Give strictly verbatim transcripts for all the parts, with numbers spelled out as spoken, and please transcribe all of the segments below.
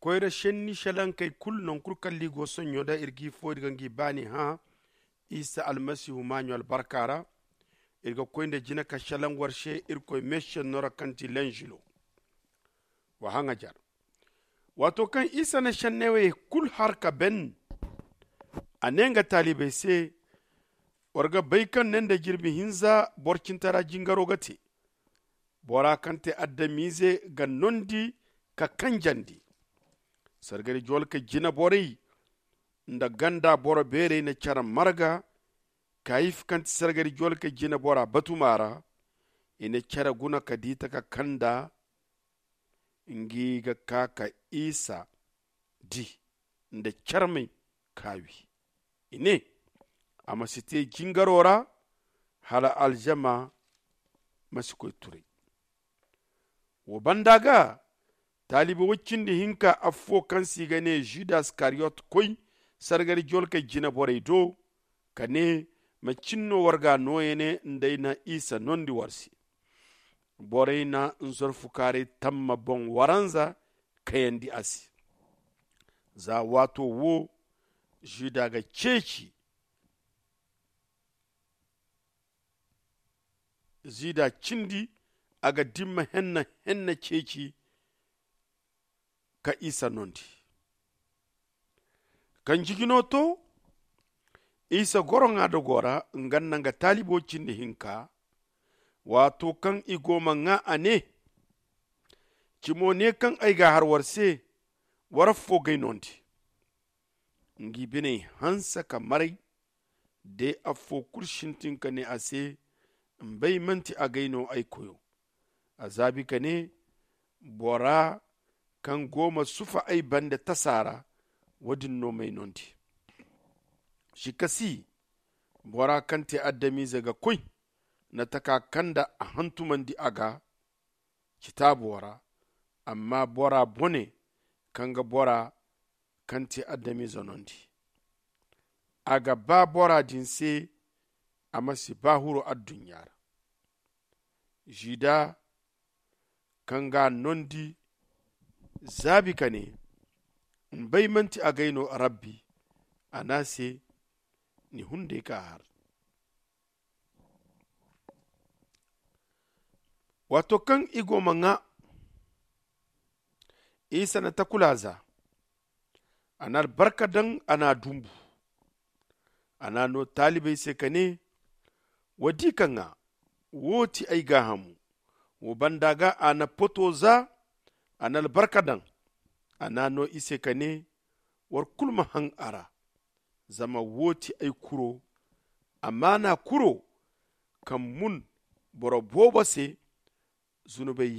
Koyra senni selankey kulu nankul kalli go sonɲo da iri g'i fo iri ga ngi baani hã isa almasihu maaɲo albarka ra. Iri ga koy nda jina ka selaŋ war se irkoy meesenno ra kaŋ ti lenžilo. Wa haŋajar. Waato kaŋ isa na senney wey kulu har ka ben, a ne nga taalibey se, war ga bay kaŋ ne nda jirbi hinza borcintara jingaro ga te. Bora kaŋ te adamize ga nondi ka kanjandi. Sargari jolka jina borey nda ganda boro beerey na care marga. Kayif kaŋ ti sargari jolka jina bora batuma ra, i na care guna ka di taka kanda. Ngi ga ka ka isa di nda carmey ka wi. I ne, a ma si te jingaro ra hala alzama ma si koy turay. Wo banda ga, taalibi woy cindi hinka affo kaŋ se i ga ne žuda iskariyot koy sargari jolkey jina borey do, ka ne, macin no war ga a nooya ne nda ay na isa nondi war se? Borey na nzorfukaaray tamma boŋ waranza kayandi a se. Za waato wo žuda ga ceeci. Žuda cindi, a ga dimma henna henna ceeci ka isa nondi. Kaŋ jijino to, isa goro ŋwa dogo ra nga nda nga taalibo cindi hinka. Waato kaŋ i go ma ŋwa a ne, cimo ne kaŋ ay ga a har war se, war affo g'ay nondi. Ngi biney hanse ka maray. De affo kulu sintin ka ne a se, nbay manti agay no ay koyo. A zaabi ka ne, bora kaŋ go ma sufa ay bande tasa ra, wo- din no m'ay nondi. Sikka si, bora kaŋ te adamize ga koy na taka kaŋ nda a hantumandi a ga citaabo ra. Amma bora bone kaŋ ga bora kaŋ te adamize nondi, a ga ba bora din se a ma si ba huru adduɲɲa ra. Žuda kaŋ ga a nondi zaabi ka ne, nbay manti agay no? Rabbi a ne a se, ni hunday ka har. Waato kaŋ i go ma ŋwa, isa na takula za, a na albarka daŋ, a na a dumbu. A na a no taalibey se ka ne, wa di ka ŋwa. Wo ti ay gaahamu. Wo banda ga a na poto za, a na albarka daŋ, a na a no i se ka ne, war kulu ma haŋ a ra. Zama wo ti ay kuro, amaana kuro, kaŋ mun boro boobo se zunubey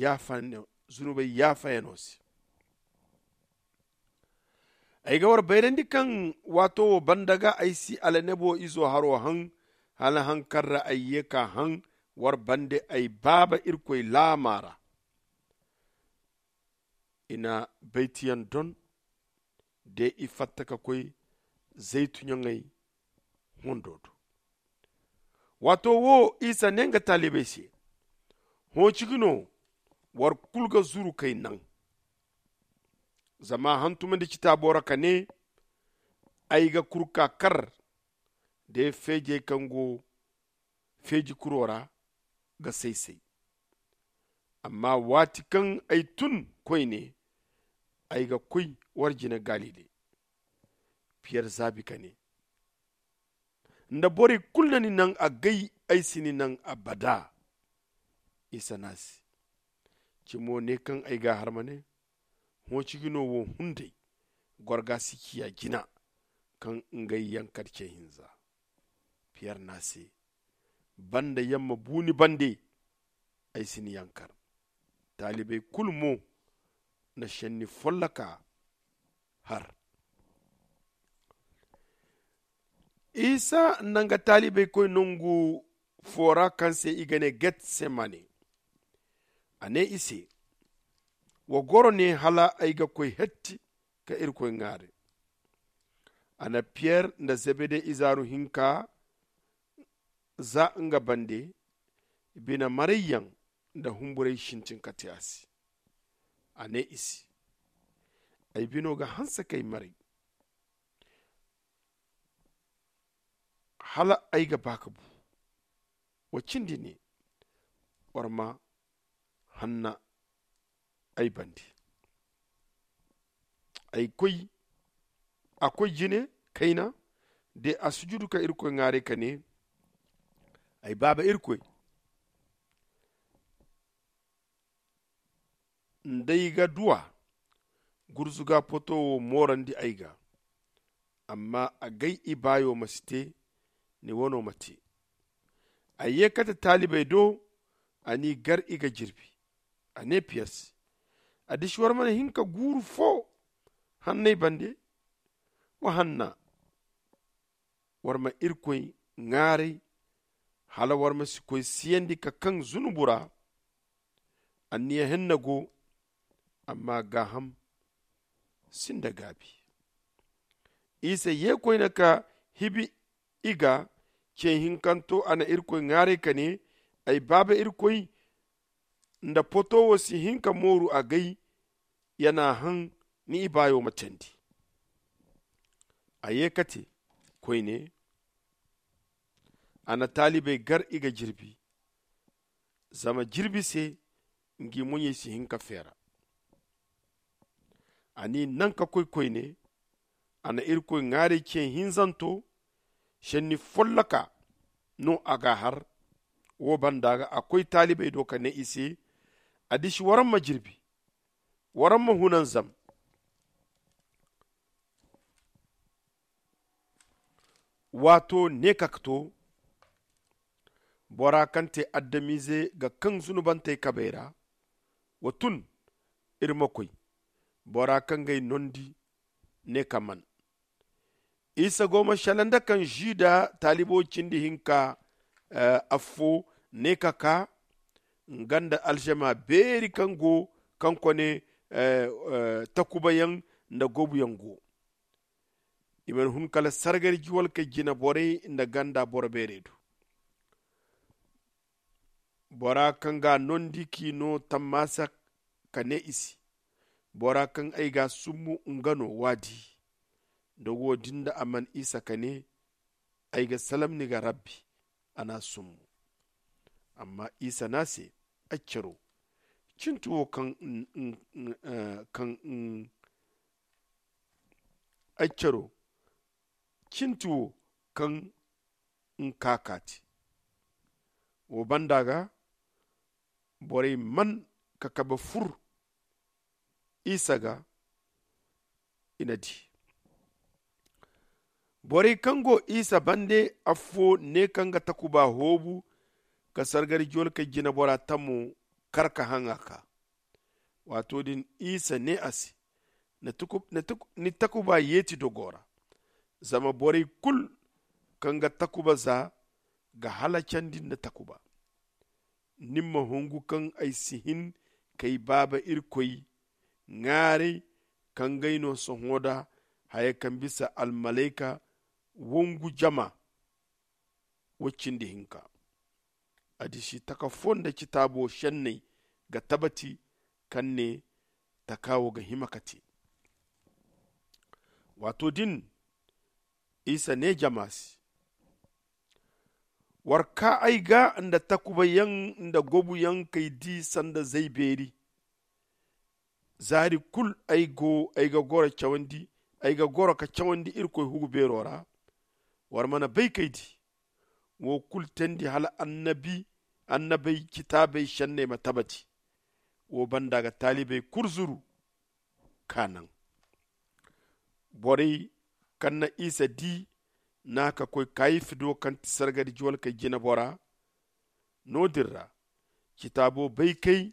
yaafayano se. Ay ga war bayrandi kaŋ waato wo banda ga ay si alanebo izo haro haŋ, hala haŋ kaŋ ra ay ye ka haŋ war bande ay baaba irkoy laama ra. I na baytiyaŋ don de i fatta ka koy zaytu ɲaŋey hondo do. Waato wo isa ne nga taalibey se, hõ ciji no war kulu ga zuru k'ay naŋ. Zama a hantumandi citaabo ra ka ne, ay ga kuru ka kar de feejey kaŋ go feeji kuro ra ga say-say. Amma waati kaŋ ay tun koyne, ay ga koy war jine galile. Piyer zaabi ka ne, nda borey kulu na ni naŋ agay, ay si ni naŋ abada. Isa ne a se, cimo ne kaŋ ay ga a har ma ne, hõ ciji no wo hunday gorga si ciya jina kaŋ ngey yankar ce hinza. Piyer ne a se, banda yamma bu ni bande, ay si ni yankar. Taalibey kulu mo na senni folloka har. Isa na nga taalibey koy nangu fo ra kaŋ se i ga ne getsemane. A ne i se, wa goro ne hala ay ga koy hetti ka irkoy ŋwaari. A na piyer nda zebede izaaru hinka za nga bande, bine marayyaŋ nda humburay sintin ka te a se. A ne i se, Ay bino ga hanse k'ay maray hala ay ga ba ka bu. Wa cindi ne, war ma hanna ay bande. Ay koy a koy jine kayna de a sujudu ka irkoy ŋwaaray ka ne, ay baaba irkoy, nda ay ga duwa gurzuga poto wo moorandi ay ga. Amma agay ibaayo ma si te, ni wano ma te. A ye kate taalibey do, a n'i gar i ga jirbi. A ne piyer se, addiši war mana hin ka guuru fo hanney bande? Wa hanna, war ma irkoy ŋaaray, hala war ma si koy siyandi ka kaŋ zunubu ra. Anniya henna go, amma gaaham sinda gaabi. Isa ye koyne ka hibi i ga. Ce hinkanto a na irkoy ŋaaray ka ne, ay baaba irkoy, nda poto wo si hin ka mooru agay, ya n'a haŋ ni ibaayo ma candi. A ye kate koyne, a na taalibey gar i ga jirbi, zama jirbi se ngi moɲey si hin ka feera. A n'i naŋ ka koy koyne, a na irkoy ŋwaaray ce hinzanto, senni folloka no a g'a har. Wo banda ga a koy taalibey do ka ne i se, addiši waraŋ ma jirbi, waraŋ ma hunanzam. Waato ne ka to, bora kaŋ te adamize ga kaŋ zunubantey kabey ra, wa tun, iri ma koy. Bora kaŋ g'ay nondi ne ka man. Isa go ma shala nda kaŋ žuda taalibo cindi hinka affo ne ka ka, nga nda alžama beeri kaŋ go kaŋ kone takubayaŋ nda gobuyaŋ go. I mana hun kala sargari juwalkey jinaborey nda ganda boro beerey do. Bora kaŋ g'a nondi k'i no tammasa ka ne i se, bora kaŋ ay g'a summu nga no w'a di. Da wo-din da a man isa ka ne, ay ga salam ni ga rabbi. A n'a summu. Amma isa n'a se, ay caro, cinti wo kaŋ kaŋ ay caro, cinti wo kaŋ nka ka te. Wo banda ga borey man ka kabe fur isa ga. I na di borey kaŋ go isa bande affo ne kaŋ ga takuba hoobu ka sargari jolkey jinabora tamo kar ka haŋ a ka. Waato din isa ne a se, ni takuba yeeti dogo ra. Zama borey kulu kaŋ ga takuba za ga halacandi nda takuba. Ni ma hungu kaŋ ay si hin k'ay baaba irkoy ŋwaaray kaŋ g'ay no sohõ da haya kaŋ bisa almalayka wongu jama wo cindi hinka. Addiši taka fo nda citaabo senney ga tabati kaŋ ne taka wo ga hima ka te. Waato din isa ne jama se, war kaa ay ga nda takubayaŋ nda gobuyaŋ k'ay di sanda zay beeri. Zaari kulu ay go ay ga goro cawandi ay ga goro ka cawandi irkoy hugu beero ra. War mana bay k'ay di wo kulu teendi hala annabi annabey citaabey senney ma tabati. Wo banda ga taalibey kulu zuru ka naŋ. Borey kaŋ na isa di na ka koy kayifi do kaŋ ti sargari juwalkey jinabora. No-din ra citaabo baykey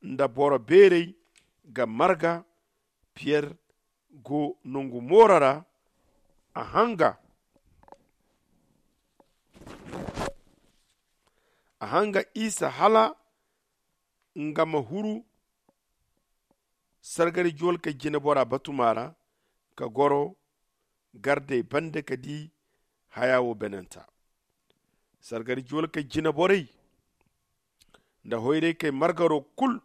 nda boro beerey ga marga. Piyer go nangu mooro ra. A hanga a hanga isa hala nga ma huru sargari juwalkey jinabora batuma ra ka goro gardey bande ka di haya wo benanta. Sargari juwalkey jinaborey nda hoyraykey margaro kulu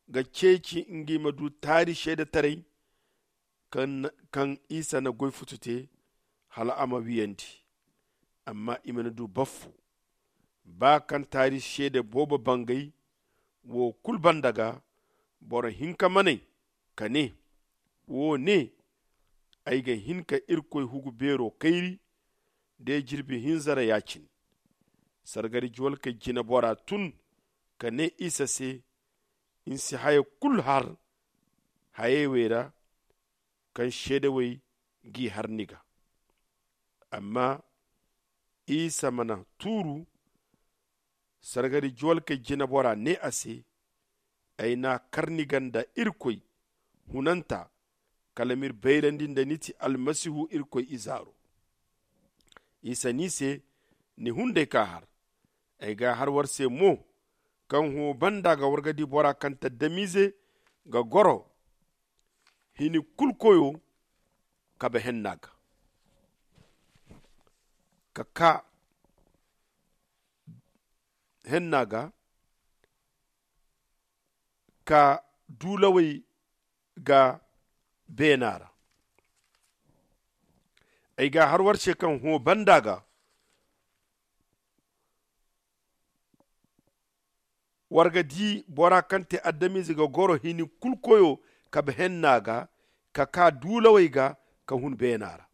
ga ceeci ngi ma du taari seedetaray kaŋ isa na goy futu te hala a ma wiyandi. Amma i mana du baffo ba kaŋ taari seede boobo bangay wo kulu banda ga, boro hinka manay ka ne, wo ne, ay ga hin ka irkoy hugu beero kayri de jirbi hinza ra ya-cine. Sargari juwalkey jinebora tun ka ne isa se, ni si haya kulu har hayey wey ra kaŋ seedawey g'i har ni ga. Amma isa mana tuuru. Sargari juwalkey jinebora ne a se, ay n'a kar ni ga nda irkoy hunanta, kala m'iri bayrandi nda ni ti almasihu irkoy izaaro. Isa ne i se, ni hunday ka har. Ay ga har war se mo, kaŋ hõ banda ga war ga di bora kaŋ taddamize ga goro hini kulu koyo kabe henna ga, ka ka henna ga, ka duulawey ga beena ra. Ay ga har war se kaŋ hõ banda ga war ga di bora kaŋ te adamize ga goro hini kulu koyo kabe henna ga, ka ka duulawey ga, ka hun beena ra.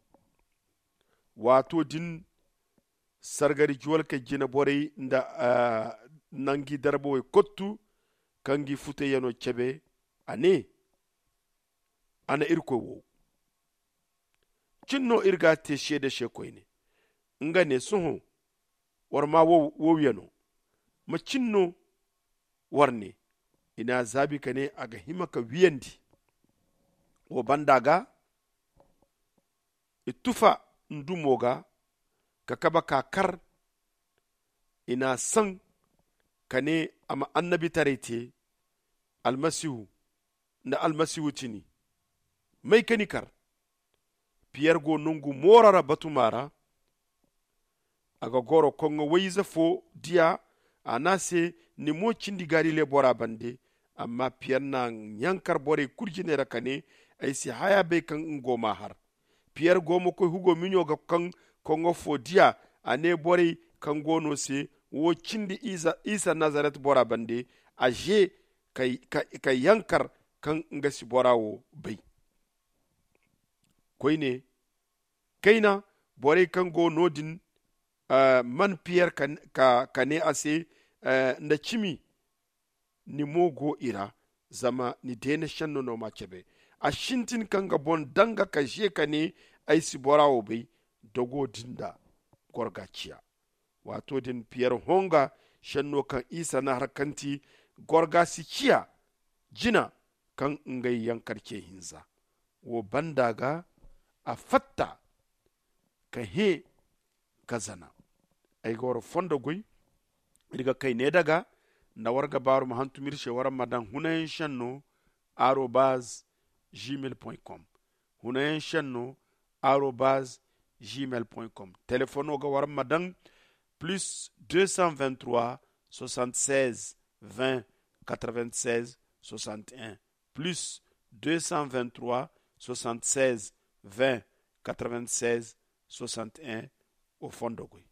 Waato din sargari juwalkey jine borey nda nangi darbawey kottu kaŋ gi futeyaŋo cebe. A ne, a na irkoy wo cin no iri ga te seede se koyne. Nga ne, sohõ war ma wo wiyano? Ma cin no war ne? I n'a zaabi ka ne, a ga hima ka wiyandi. Wo banda ga i tufa ndumo ga ka kabe ka kar. I n'a saŋ ka ne a ma annabitaray te. Almasihu nda almasihu tini may ka ni kar? Piyer go nongu mooro ra batuma ra. A ga goro koŋŋo wayze fo diya. A ne a se, ni mo cindi galile bora bande. Amma piyer na yankar borey kulu jine ra ka ne, ay si haya bay kaŋ nga go m'a har. Piyer go ma koy hugo miɲo ga kaŋ koŋŋo fo diya. A ne borey kaŋ go no se, wo cindi isa nazaret bora bande. A ze ka yankar kaŋ nga si bora wo bay. Koyne kayna borey kaŋ go no- din man piyer ka ne a se, nda cimi ni mo go i ra, zama ni deena senno no m'a cebe. A sintin ka nga boŋ danga ka ze ka ne, ay si bora wo bay. Dogo din da gorga ciya. Waato din piyer honga senno kaŋ isa na har kaŋ ti gorga si ciya jina kaŋ ngey yankar ce hinza. Wo banda ga a fatta ka hẽ ka zana. Ay ga war fondo goy. Iri ga kay ne daga nda war ga baaru ma hantum iri se war ma daŋ hunayaŋ senno arobaz gmail point com. Hunayaŋ senno arobaz gmail point com. Telefono ga war ma daŋ plus deux cent vingt trois soixante seize vingt quatre vingt seize soixante et un. Plus deux cent vingt trois soixante seize vingt quatre vingt seize soixante et un. Wo fondo goy.